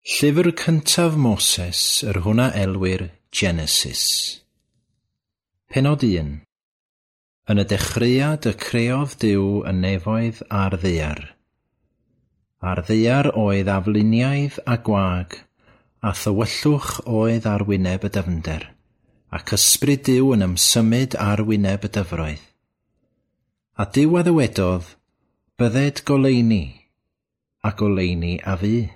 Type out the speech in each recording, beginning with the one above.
Llyfr cyntaf Moses, yr hwn a elwir Genesis. Pennod 1. Yn y dechreuad y creodd Duw y nefoedd a'r ddaear. A'r ddaear oedd afluniaidd a gwag, a thywyllwch oedd ar wyneb y dyfnder, ac ysbryd Duw yn ymsymud ar wyneb y dyfroedd. A Duw a ddywedodd, "Bydded goleuni," a goleuni a fu.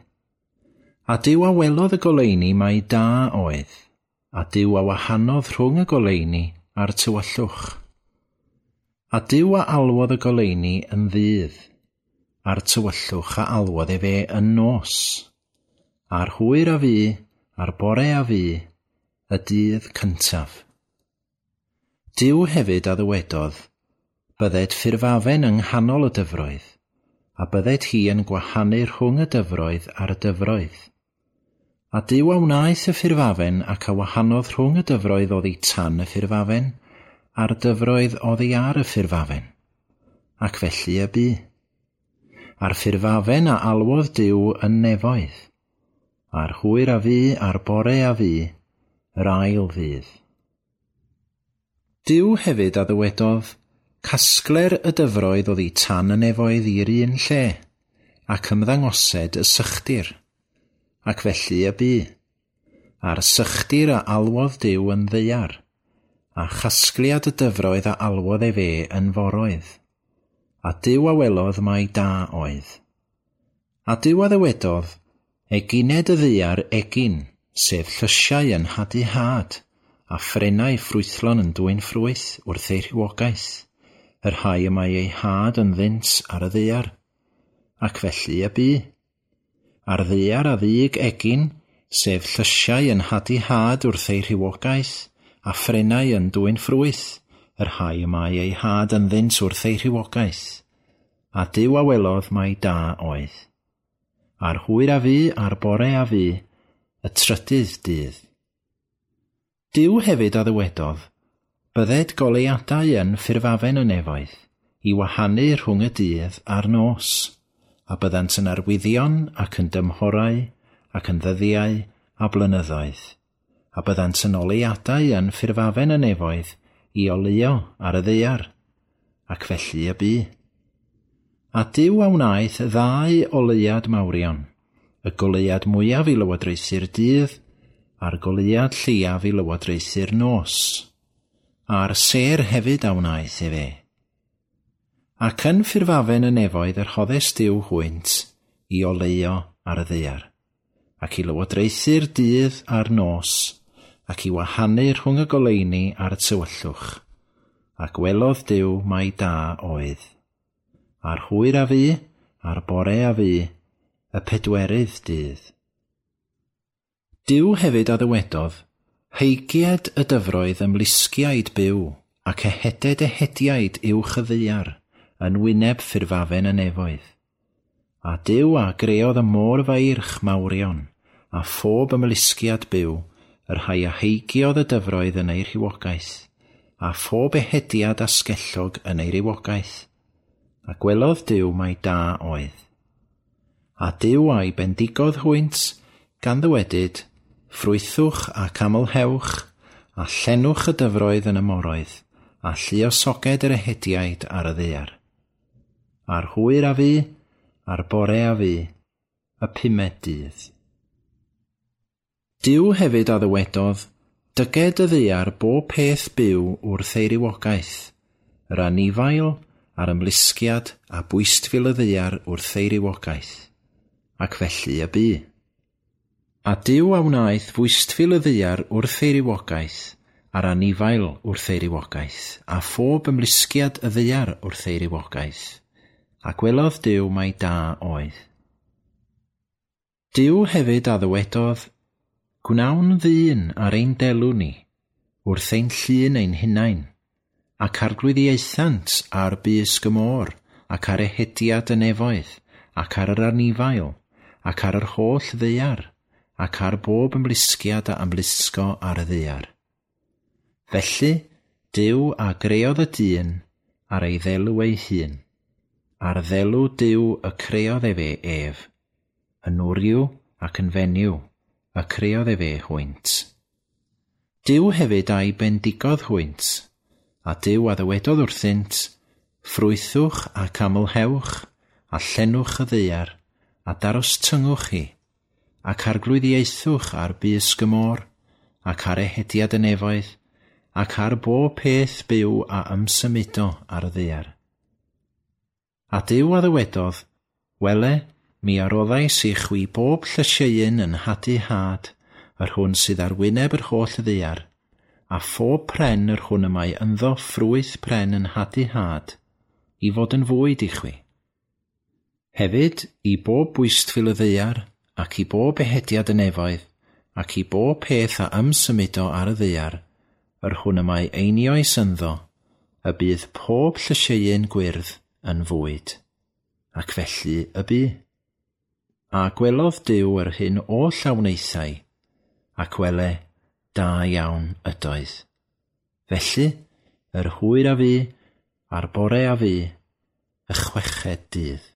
A Duw a welodd y goleuni mai da oedd, a Duw a wahanodd rhwng y goleuni a'r tywyllwch. A Duw a alwodd y goleuni yn ddydd, a'r tywyllwch a alwodd efe yn nos. A'r hwyr a fu, a'r bore a fu, y dydd cyntaf. Duw hefyd a ddywedodd, "Bydded ffurfafen yng nghanol y dyfroedd, a bydded hi yn gwahanu rhwng y dyfroedd a'r dyfroedd." A Duw a wnaeth y ffurfafen ac a wahanodd rhwng y dyfroedd oddi tan y ffurfafen a'r dyfroedd oddi ar y ffurfafen. Ac felly y bu. A'r ffurfafen a alwodd Duw yn nefoedd. A'r hwyr a fu, a'r bore a fu, yr ail ddydd. Duw hefyd a ddywedodd, "Casgler y dyfroedd oddi tan y nefoedd i'r un lle, ac ymddangosed y sychdir." Ac felly y bu. A'r sychdir a alwodd Duw yn ddaear, a chasgliad y dyfroedd a alwodd efe yn foroedd. A Duw a welodd mai da oedd. A Duw a ddywedodd, "Egined y ddaear egin, sef llysiau yn hadu had, a phrennau ffrwythlon yn dwyn ffrwyth wrth eu rhywogaeth, y rhai y mae eu had ynddynt ar y ddaear." Ac felly y bu. A'r ddaear a ddug egin, sef llysiau yn hadu had wrth eu rhywogaeth, a phrennau yn dwyn ffrwyth, y rhai y mae eu had ynddynt wrth eu rhywogaeth. A Duw a welodd mai da oedd. A'r hwyr a fu, a'r bore a fu, y trydydd dydd. Duw hefyd a ddywedodd, "Bydded goleuadau yn ffurfafen y nefoedd, i wahanu rhwng y dydd a'r nos, a byddant yn arwyddion ac yn dymhorau ac yn ddyddiau a blynyddoedd, a byddant yn oleuadau yn ffurfafen y nefoedd i oleuo ar y ddaear." Ac felly y bu. A Duw a wnaeth ddau oleuad mawrion, y goleuad mwyaf i lywodraethu'r dydd, a'r goleuad lleiaf i lywodraethu'r nos. A'r sêr hefyd a wnaeth efe. Ac yn ffurfafen y nefoedd yr rhoddes Duw hwynt i oleuo ar y ddaear, ac i lywodraethu'r dydd a'r nos, ac i wahanu rhwng y goleuni a'r tywyllwch. A gwelodd Duw mai da oedd. A'r hwyr a fu, a'r bore a fu, y pedwerydd dydd. Duw hefyd a ddywedodd, "Heigied y dyfroedd ymlusgiaid byw, ac eheded ehediaid uwch y ddaear, yn wyneb ffurfafen y nefoedd." A Duw a greodd y môr feirch mawrion, a phob ymlusgiad byw, y rhai a heigiodd y dyfroedd yn eu rhywogaeth, a phob ehediad asgellog yn ei rywogaeth. A gwelodd Duw mai da oedd. A Duw a'i bendigodd hwynt, gan ddywedyd, "Ffrwythwch ac amlhewch, a llenwch y dyfroedd yn y moroedd, a lluosoged yr ehediaid ar y ddaear." A'r hwyr a fu, a'r bore a fu, y pumed dydd. Duw hefyd a ddywedodd, "Dyged y ddaear bob peth byw wrth ei rywogaeth, yr anifail a'r ymlusgiad a bwystfil y ddaear wrth ei rywogaeth." Ac felly y bu. A Duw a wnaeth fwystfil y ddaear wrth ei rywogaeth, a'r anifail wrth ei rywogaeth, a phob ymlusgiad y ddaear wrth ei rywogaeth. A gwelodd Duw mai da oedd. Duw hefyd a ddywedodd, "Gwnawn ddyn ar ein delw ni, wrth ein llun ein hunain, ac arglwyddiaethant ar bysg y môr, ac ar ehediad y nefoedd, ac ar yr anifail, ac ar yr holl ddaear, ac ar bob ymlusgiad a ymlusgo ar y ddaear." Felly, Duw a greodd y dyn ar ei ddelw ei hun. Ar ddelw Duw y creodd efe ef, yn wryw ac yn fenyw, y creodd efe hwynt. Duw hefyd a'i bendigodd hwynt, a Duw a ddywedodd wrthynt, ffrwythwch ac amlhewch, a llenwch y ddaear, a darostyngwch hi, ac arglwyddiaethwch ar bysg y môr, ac ar ehediad y nefoedd, ac ar bob peth byw a ymsymudo ar y ddaear. A Duw a ddywedodd, wele, mi a roddais i chwi bob llysieuyn yn hadu had, yr hwn sydd ar wyneb yr holl ddaear, a phob pren yr hwn y mae ynddo ffrwyth pren yn hadu had, i fod yn fwyd i chwi. Hefyd, i bob bwystfil y ddaear, ac i bob ehediad y nefoedd, ac i bob peth a ymsymudo ar y ddaear, yr hwn y mae einioes ynddo, y bydd pob llysieuyn gwyrdd yn fwyd. Ac felly y bu. A gwelodd Duw yr hyn oll a wnaethai, ac wele, da iawn ydoedd. Felly, yr hwyr a fu, a'r bore a fu, y chweched dydd.